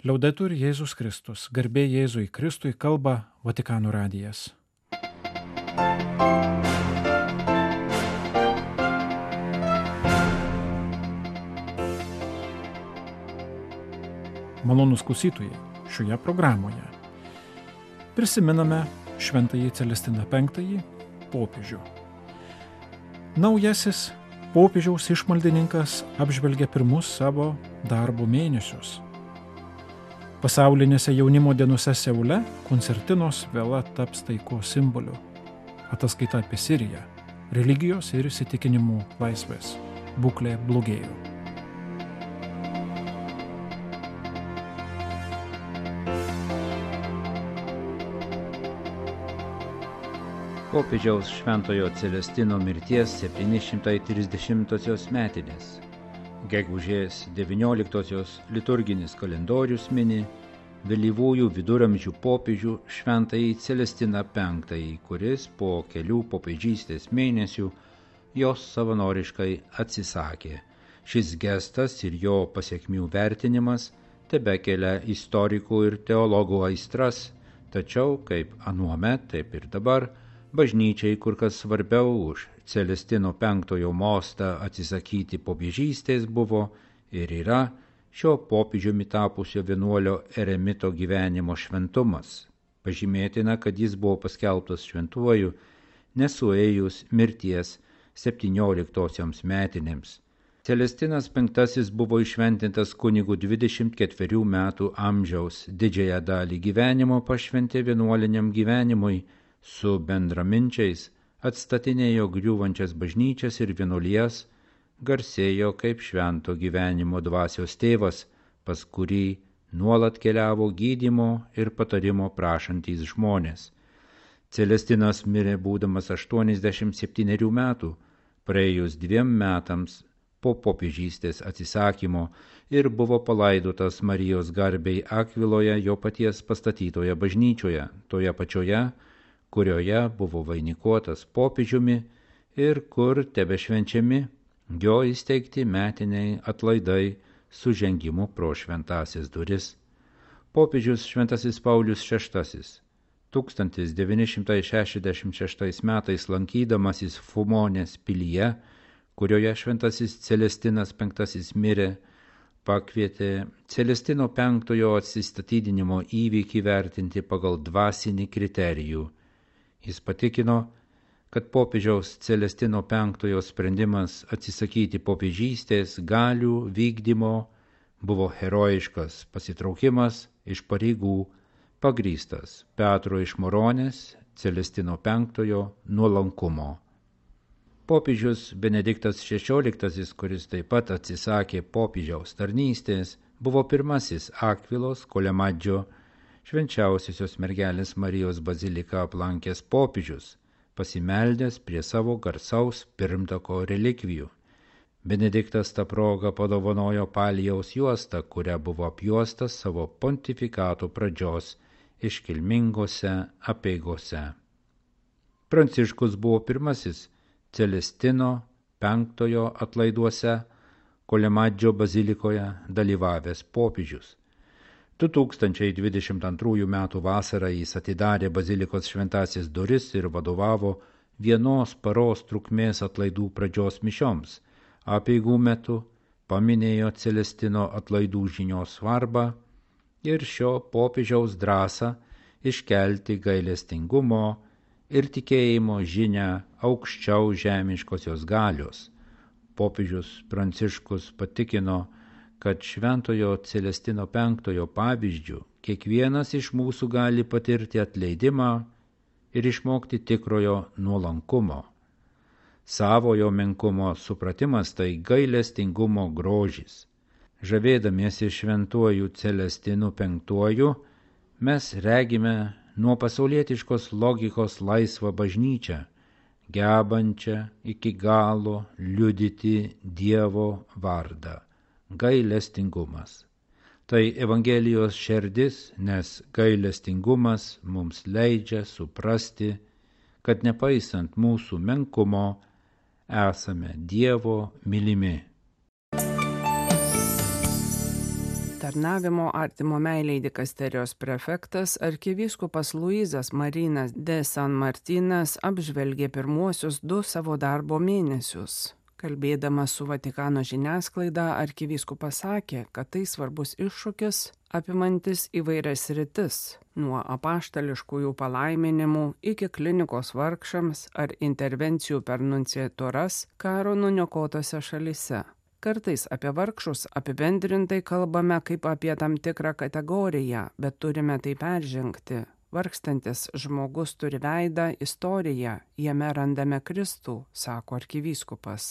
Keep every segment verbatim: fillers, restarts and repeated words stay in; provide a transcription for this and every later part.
Liaudetur Jėzus Kristus, garbė Jėzui Kristui, kalba Vatikano radijas. Malonūs klausytojai, šioje programoje prisiminame šventąjį Celestiną penktąjį popiežių. Naujasis popiežiaus išmaldininkas apžvelgia pirmus savo darbo mėnesius. Pasaulinėse jaunimo dienose Seule koncertinos vėla taps taikos simboliu. Ataskaita apie Siriją, religijos ir įsitikinimų laisvės būklė blogėjo. Popiežiaus Šventojo Celestino mirties septyni šimtai trisdešimtosios metinės. Gegužės devynioliktosios liturginis kalendorius mini vėlyvųjų viduramžių popiežių Šventąjį Celestiną penktąjį, kuris po kelių popiežystės mėnesių jos savanoriškai atsisakė. Šis gestas ir jo pasekmių vertinimas tebekelia istorikų ir teologų aistras, tačiau kaip anuomet, taip ir dabar, bažnyčiai kur kas svarbiau už Celestino penktojo mostą atsisakyti popiežystės buvo ir yra šio popiežiumi tapusio vienuolio eremito gyvenimo šventumas. Pažymėtina, kad jis buvo paskelbtas šventuoju nesuėjus mirties septynioliktosioms metinėms. Celestinas penktasis buvo įšventintas kunigu dvidešimt ketverių metų amžiaus, didžiąją dalį gyvenimo pašventė vienuoliniam gyvenimui, su bendraminčiais atstatinėjo griūvančias bažnyčias ir vienuolijas, garsėjo kaip švento gyvenimo dvasios tėvas, pas kurį nuolat keliavo gydymo ir patarimo prašantys žmonės. Celestinas mirė būdamas aštuoniasdešimt septynerių metų, praėjus dviem metams po popiežystės atsisakymo, ir buvo palaidotas Marijos garbei Akviloje jo paties pastatytoje bažnyčioje, toje pačioje, kurioje buvo vainikuotas popiežiumi ir kur tebešvenčiami jo įsteigti metiniai atlaidai su žengimu pro šventąsias duris. Popiežius Šventasis Paulius šeštasis tūkstantis devyni šimtai šešiasdešimt šeštais metais lankydamasis Fumonės pilyje, kurioje Šventasis Celestinas penktasis mirė, pakvietė Celestino penktojo atsistatydinimo įvykį vertinti pagal dvasinį kriterijų. Jis patikino, kad popiežiaus Celestino penktojo sprendimas atsisakyti popiežystės galių vykdymo buvo herojiškas pasitraukimas iš pareigų, pagrįstas Petro iš Moronės Celestino penktojo nuolankumo. Popiežius Benediktas šešioliktasis, kuris taip pat atsisakė popiežiaus tarnystės, buvo pirmasis Akvilos Kolemadžio švenčiausiosios mergelės Marijos baziliką aplankęs popiežius, pasimeldęs prie savo garsaus pirmtako relikvijų. Benediktas tą progą padovanojo palijaus juostą, kuria buvo apjuostas savo pontifikato pradžios iškilmingose apeigose. Pranciškus buvo pirmasis Celestino penktojo atlaiduose Kolemadžio bazilikoje dalyvavęs popiežius. du tūkstančiai dvidešimt antrųjų metų vasarą jis atidarė bazilikos šventąsias duris ir vadovavo vienos paros trukmės atlaidų pradžios mišioms. Apeigų metu paminėjo Celestino atlaidų žinios svarbą ir šio popiežiaus drąsą iškelti gailestingumo ir tikėjimo žinią aukščiau žemiškosios galios. Popiežius Pranciškus patikino, kad Šventojo Celestino penktojo pavyzdžių kiekvienas iš mūsų gali patirti atleidimą ir išmokti tikrojo nuolankumo. Savojo menkumo supratimas tai gailestingumo grožis. Žavėdamiesi Šventuoju Celestinu penktuoju, mes regime nuo pasaulietiškos logikos laisvą bažnyčią, gebančią iki galo liudyti Dievo vardą. Gailestingumas. Tai Evangelijos šerdis, nes gailestingumas mums leidžia suprasti, kad nepaisant mūsų menkumo, esame Dievo mylimi. Tarnavimo artimo meilei dikasterijos prefektas arkivyskupas Luizas Marinas de San Martinas apžvelgė pirmuosius du savo darbo mėnesius. Kalbėdamas su Vatikano žiniasklaida, arkivyskupas sakė, kad tai svarbus iššūkis, apimantis įvairias sritis, nuo apaštališkųjų palaiminimų iki klinikos vargšams ar intervencijų per nunciatūras karo nuniokotose šalyse. Kartais apie vargšus apibendrintai kalbame kaip apie tam tikrą kategoriją, bet turime tai peržengti. Vargstantis žmogus turi veidą, istoriją, jame randame Kristų, sako arkivyskupas.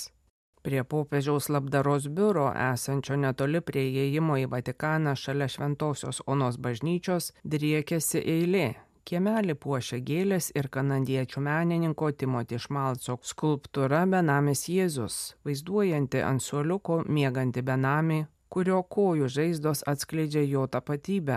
Prie popiežiaus labdaros biuro, esančio netoli prie įėjimo į Vatikaną šalia Šventosios Onos bažnyčios, driekėsi eilė. Kiemelį puošia gėlės ir kanadiečių menininko Timoti Šmalco skulptūra Benamis Jėzus, vaizduojanti ant suoliuko miegantį benamį, kurio kojų žaizdos atskleidžia jo tapatybę.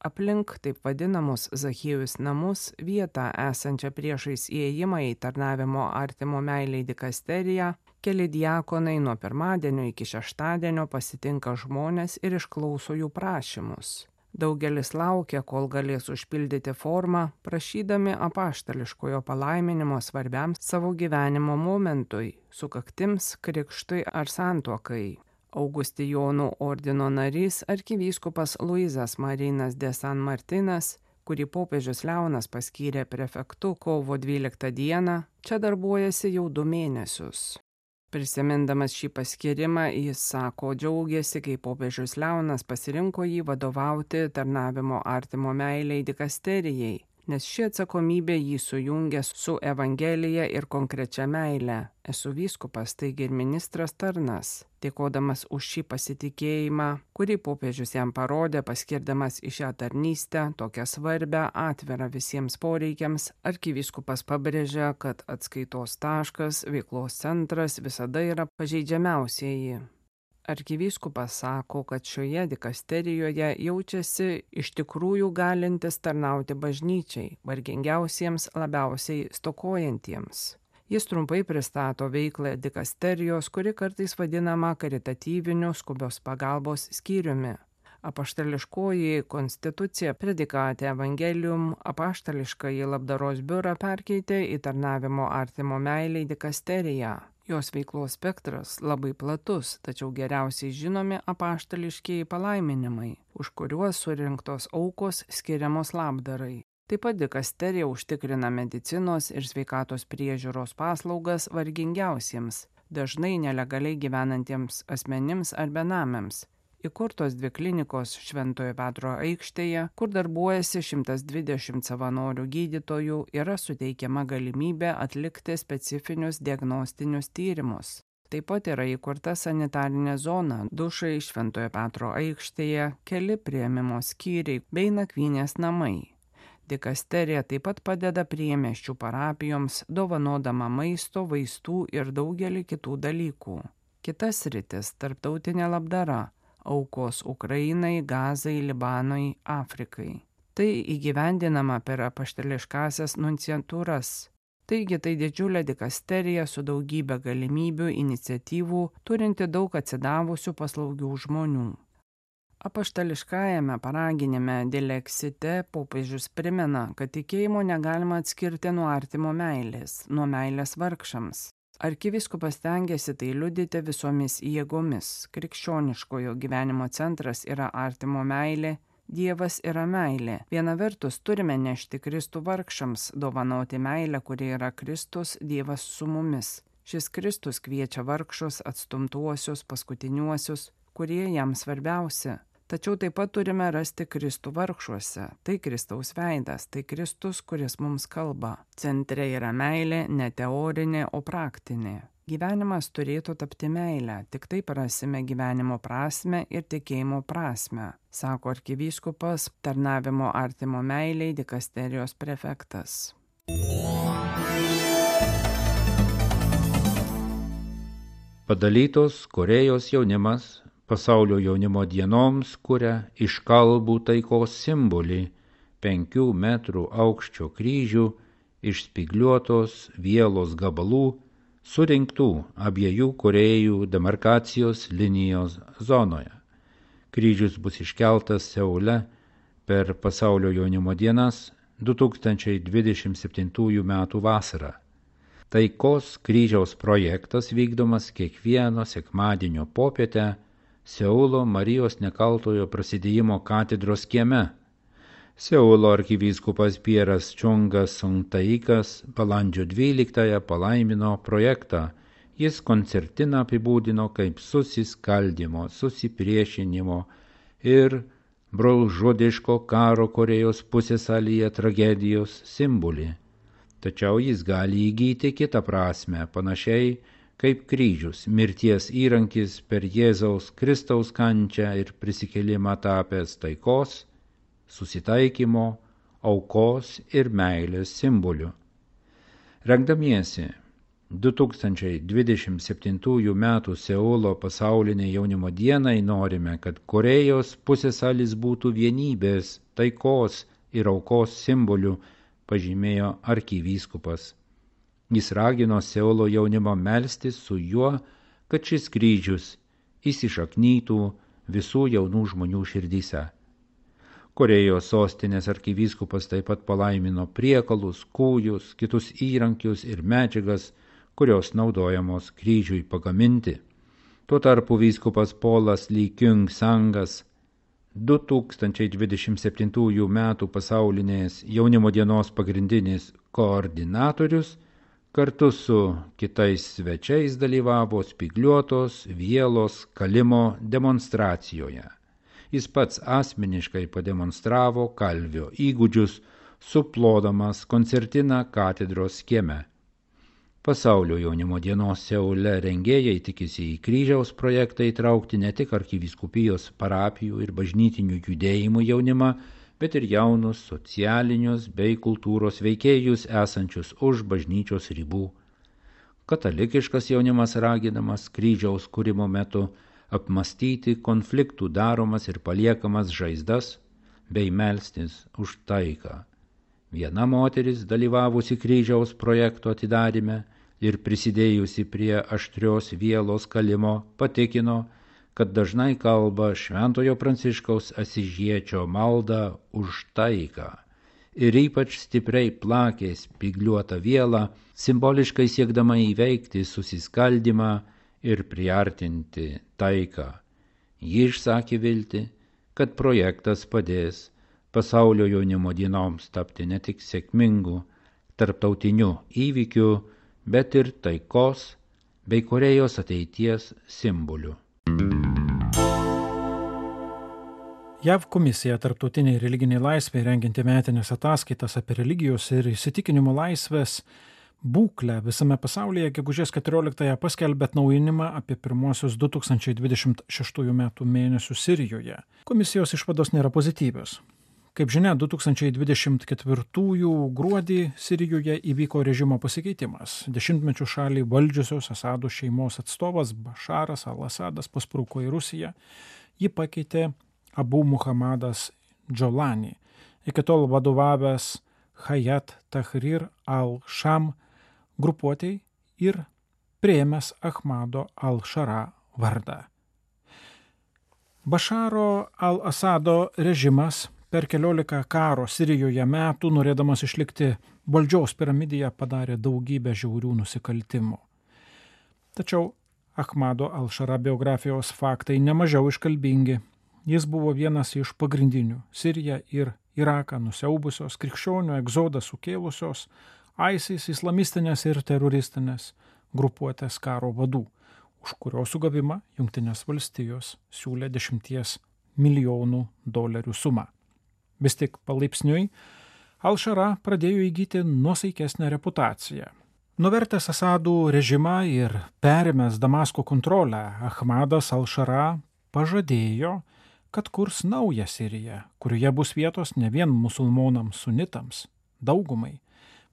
Aplink taip vadinamus Zachiejus namus, vietą esančią priešais įėjimą į Tarnavimo artimo meilei dikasteriją, keli diakonai nuo pirmadienio iki šeštadienio pasitinka žmonės ir išklauso jų prašymus. Daugelis laukia, kol galės užpildyti formą, prašydami apaštališkojo palaiminimo svarbiam savo gyvenimo momentui, sukaktims, krikštui ar santuokai. Augustijonų ordino narys arkivyskupas Luizas Marinas de San Martinas, kurį popiežius Leonas paskyrė prefektu kovo dvyliktą dieną, čia darbuojasi jau du mėnesius. Prisimindamas šį paskyrimą, jis sako, džiaugiasi, kai popiežius Leonas pasirinko jį vadovauti Tarnavimo artimo meilei dikasterijai, nes ši atsakomybė jį sujungia su Evangelija ir konkrečia meile. Esu vyskupas, taigi ir ministras tarnas. Dėkodamas už šį pasitikėjimą, kurį popiežius jam parodė, paskirdamas į šią tarnystę, tokią svarbią, atvirą visiems poreikiams, arkivyskupas pabrėžia, kad atskaitos taškas, veiklos centras visada yra pažeidžiamiausieji. Arkivyskupas sako, kad šioje dikasterijoje jaučiasi iš tikrųjų galintis tarnauti bažnyčiai, vargingiausiems, labiausiai stokojantiems. Jis trumpai pristato veiklą dikasterijos, kuri kartais vadinama karitatyviniu skubios pagalbos skyriumi. Apaštališkoji konstitucija Predikate Evangelium apaštališkąjį labdaros biurą perkeitė į Tarnavimo artimo meilei dikasteriją. Jos veiklos spektras labai platus, tačiau geriausiai žinomi apaštališkieji palaiminimai, už kuriuos surinktos aukos skiriamos labdarai. Taip pat dikasterija užtikrina medicinos ir sveikatos priežiūros paslaugas vargingiausiems, dažnai nelegaliai gyvenantiems asmenims ar benamiams. Įkurtos dvi klinikos Šventojo Petro aikštėje, kur darbuojasi šimtas dvidešimt savanorių gydytojų, yra suteikiama galimybė atlikti specifinius diagnostinius tyrimus. Taip pat yra įkurta sanitarinė zona, dušai Šventojo Petro aikštėje, keli priėmimo skyriai bei nakvynės namai. Dikasterija taip pat padeda priemiesčių parapijoms, dovanodama maisto, vaistų ir daugelį kitų dalykų. Kitas sritis – tarptautinė labdara. Aukos Ukrainai, Gazai, Libanui, Afrikai. Tai įgyvendinama per apaštališkąsias nunciatūras. Taigi tai didžiulė dikasterija su daugybė galimybių, iniciatyvų, turinti daug atsidavusių paslaugių žmonių. Apaštališkajame paraginime Dilexite popiežius primena, kad tikėjimo negalima atskirti nuo artimo meilės, nuo meilės vargšams. Arkivyskupas stengiasi tai liudyti visomis jėgomis. Krikščioniškojo gyvenimo centras yra artimo meilė, Dievas yra meilė. Viena vertus turime nešti Kristų vargšams, dovanoti meilę, kuri yra Kristus, Dievas su mumis. Šis Kristus kviečia vargšus, atstumtuosius, paskutiniuosius, kurie jam svarbiausi. Tačiau taip pat turime rasti Kristų vargšuose. Tai Kristaus veidas, tai Kristus, kuris mums kalba. Centre yra meilė, ne teorinė, o praktinė. Gyvenimas turėtų tapti meilę, tik taip rasime gyvenimo prasmę ir tikėjimo prasmę, sako arkivyskupas, Tarnavimo artimo meilei dikasterijos prefektas. Padalytos Korėjos jaunimas pasaulio jaunimo dienoms kuria iškalbų taikos simbolį penkių metrų aukščio kryžių iš spygliuotos vielos gabalų surinktų abiejų Korėjų demarkacijos linijos zonoje. kryžius bus iškeltas Seule per Pasaulio jaunimo dienas du tūkstančiai dvidešimt septintųjų metų vasarą. Taikos kryžiaus projektas vykdomas kiekvieno sekmadienio popietę Seulo Marijos Nekaltojo Prasidėjimo katedros kieme. Seulo arkivyskupas Pieras Čongas Songtaikas balandžio dvyliktąją palaimino projektą. Jis koncertiną apibūdino kaip susiskaldymo, susipriešinimo ir brolžudiško karo Korėjos pusiasalyje tragedijos simbolį. Tačiau jis gali įgyti kitą prasme, panašiai kaip kryžius, mirties įrankis per Jėzaus Kristaus kančią ir prisikėlimą tapęs taikos, susitaikymo, aukos ir meilės simboliu. Rengdamiesi du tūkstančiai dvidešimt septintųjų metų Seulo pasaulinei jaunimo dienai norime, kad Korėjos pusiasalis būtų vienybės, taikos ir aukos simboliu, pažymėjo arkivyskupas. Jis ragino Seulo jaunimą melstis su juo, kad šis kryžius įsišaknytų visų jaunų žmonių širdyse. Korėjos sostinės arkivyskupas taip pat palaimino priekalus, kūjus, kitus įrankius ir medžiagas, kurios naudojamos kryžiui pagaminti. Tuo tarpu vyskupas Polas Lee Kyung Sangas du tūkstančiai dvidešimt septintųjų metų pasaulinės jaunimo dienos pagrindinis koordinatorius kartu su kitais svečiais dalyvavo spygliuotos vielos kalimo demonstracijoje. Jis pats asmeniškai pademonstravo kalvio įgūdžius, suplodamas koncertiną katedros kieme. Pasaulio jaunimo dienos Seule rengėjai tikisi į kryžiaus projektą įtraukti ne tik arkivyskupijos parapijų ir bažnytinių judėjimų jaunimą, bet ir jaunus socialinius bei kultūros veikėjus esančius už bažnyčios ribų. Katalikiškas jaunimas raginamas kryžiaus kūrimo metu apmastyti konfliktų daromas ir paliekamas žaizdas bei melstis už taiką. Viena moteris, dalyvavusi kryžiaus projekto atidaryme ir prisidėjusi prie aštrios vielos kalimo, patikino, kad dažnai kalba Šventojo Pranciškaus Asyžiečio maldą už taiką ir ypač stipriai plakė spygliuotą vielą, simboliškai siekdama įveikti susiskaldymą ir priartinti taiką. Ji išsakė viltį, kad projektas padės pasaulio jaunimo dienoms tapti ne tik sėkmingu tarptautiniu įvykiu, bet ir taikos bei Korėjos ateities simboliu. J A V komisija Tarptautiniai religiniai laisvei rengianti metinės ataskaitas apie religijos ir įsitikinimų laisvės būklę visame pasaulyje gegužės keturioliktąją paskelbė atnaujinimą apie pirmuosius du tūkstančiai dvidešimt šeštųjų metų mėnesius Sirijoje. Komisijos išvados nėra pozityvios. Kaip žinia, du tūkstančiai dvidešimt ketvirtųjų gruodį Sirijoje įvyko režimo pasikeitimas. Dešimtmečių šalį valdžiusios Asado šeimos atstovas Bašaras al-Asadas paspruko į Rusiją. Jį pakeitė Abu Muhammadas Džolani, iki tol vadovavęs Hayat Tahrir al-Sham grupuotei ir priėmęs Ahmado al-Šara vardą. Bašaro al-Asado režimas per keliolika karo Sirijoje metų, norėdamas išlikti valdžios piramidėje, padarė daugybę žiaurių nusikaltimų. Tačiau Ahmado al-Šara biografijos faktai nemažiau iškalbingi. Jis buvo vienas iš pagrindinių Siriją ir Iraką nusiaubusios, krikščionių egzodą sukėlusios, ISIS islamistinės ir teroristinės grupuotės karo vadų, už kurio sugavimą Jungtinės valstijos siūlė dešimties milijonų dolerių sumą. Vis tik palaipsniui al-Šara pradėjo įgyti nuosaikesnę reputaciją. Nuvertęs Asadų režimą ir perėmęs Damasko kontrolę, Ahmadas al-Šara pažadėjo, kad kurs naują Siriją, kurioje bus vietos ne vien musulmonams sunitams, daugumai,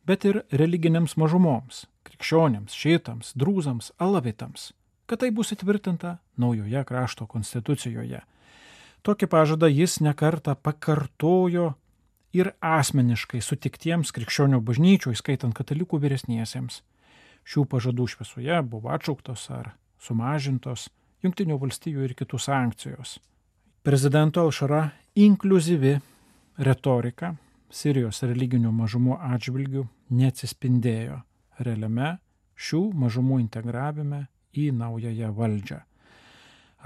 bet ir religinėms mažumoms, krikščionėms, šitams, drūzams, alavitams, kad tai bus įtvirtinta naujoje krašto konstitucijoje. Tokį pažadą jis nekartą pakartojo ir asmeniškai sutiktiems krikščionių bažnyčių, įskaitant katalikų vyresniesiems. Šių pažadų šviesoje buvo atšauktos ar sumažintos Jungtinių valstijų ir kitų sankcijos. Prezidento Alšara inkliuzyvi retorika Sirijos religinių mažumų atžvilgių neatsispindėjo realiame šių mažumų integravime į naująją valdžią.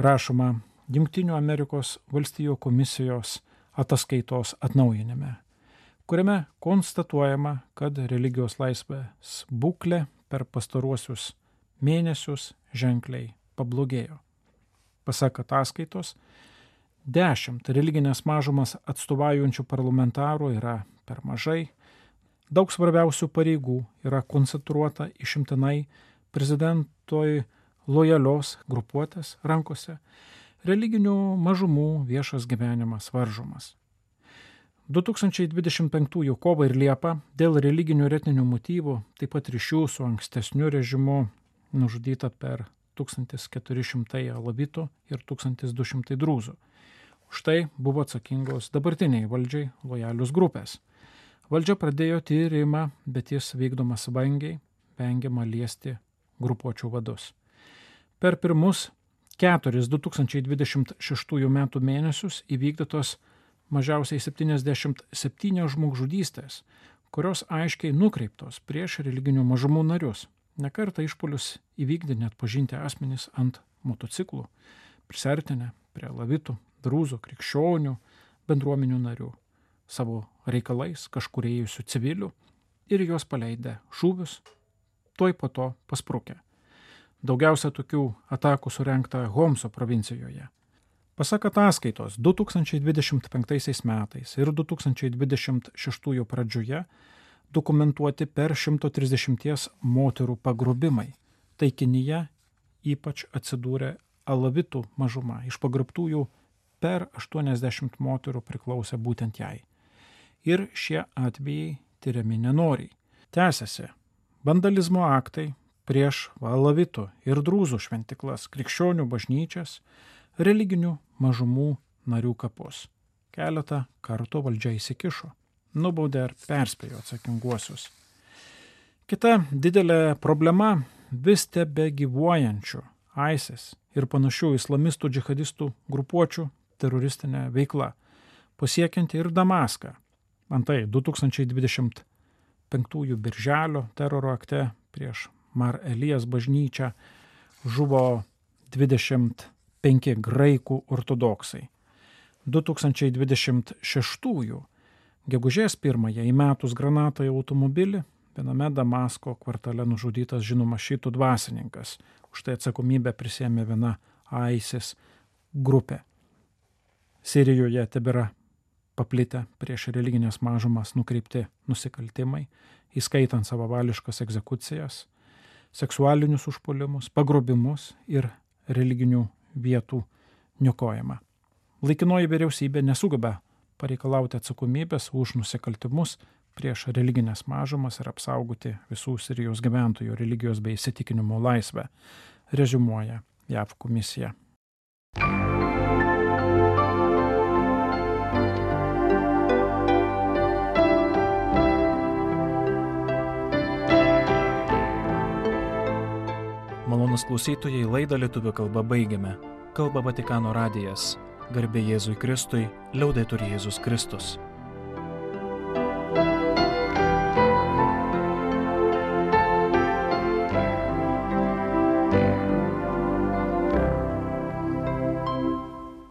Rašoma Jungtinių Amerikos valstijų komisijos ataskaitos atnaujinime, kuriame konstatuojama, kad religijos laisvės būklė per pastaruosius mėnesius ženkliai pablogėjo. Pasak ataskaitos, dešimt religinės mažumas atstovaujančių parlamentarų yra per mažai, daug svarbiausių pareigų yra koncentruota išimtinai prezidentoj lojalios grupuotės rankose, religinių mažumų viešas gyvenimas varžomas. du tūkstančiai dvidešimt penktųjų kovą ir liepą dėl religinių ir etninių motyvų, taip pat ryšių su ankstesniu režimu, nužudyta per tūkstantis keturi šimtai alavitų ir tūkstantis du šimtai drūzų. Už tai buvo atsakingos dabartiniai valdžiai lojalius grupės. Valdžia pradėjo tyrimą, bet jis vykdomas vangiai, vengiama liesti grupuočių vadus. Per pirmus keturis du tūkstančiai dvidešimt šeštųjų metų mėnesius įvykdytos mažiausiai septyniasdešimt septynios žmogžudystės, kurios aiškiai nukreiptos prieš religinių mažumų narius. Nekartą išpuolius įvykdė net pažinti asmenys ant motociklų, prisartinę prie alavitų, drūzų, krikščionių, bendruomenių narių, savo reikalais kažkur ėjusių civilių ir juos paleidę šūvius, tuoj po to pasprukę. Daugiausia tokių atakų surengta Homso provincijoje. Pasak ataskaitos, du tūkstančiai dvidešimt penktaisiais metais ir du tūkstančiai dvidešimt šeštųjų pradžioje dokumentuoti per šimto trisdešimties moterų pagrobimai. Taikinyje ypač atsidūrė alavitų mažuma. Iš pagrobtųjų per aštuoniasdešimt moterų priklausė būtent jai. Ir šie atvejai tyriami nenoriai. Tęsiasi vandalizmo aktai prieš alavitų ir drūzų šventiklas, krikščionių bažnyčias, religinių mažumų narių kapus. Keletą kartų valdžia įsikišo, nubaudė ar perspėjo atsakinguosius. Kita didelė problema vis tebe gyvuojančių ISIS ir panašių islamistų džihadistų grupuočių teroristinė veikla, pasiekianti ir Damaską. Antai du tūkstančiai dvidešimt penktųjų birželio teroro akte prieš Mar Elijas bažnyčią žuvo dvidešimt penki graikų ortodoksai. du tūkstančiai dvidešimt šeštųjų gegužės pirmąją įmetus granatą į automobilį, viename Damasko kvartale nužudytas žinomas šiitų dvasininkas. Už tai atsakomybę prisėmė viena ISIS grupė. Sirijoje tebėra paplitę prieš religinės mažumas nukreipti nusikaltimai, įskaitant savavališkas egzekucijas, seksualinius užpuolimus, pagrobimus ir religinių vietų niokojimą. Laikinoji vyriausybė nesugeba pareikalauti atsakomybės už nusikaltimus prieš religinės mažumas ir apsaugoti visų Sirijos gyventojų religijos bei įsitikinimų laisvę, reziumuoja J A V komisija. Malonūs klausytojai, laidą lietuvių kalba baigiame. Kalba Vatikano radijas. Garbė Jėzui Kristui, liaudetur Jėzus Kristus.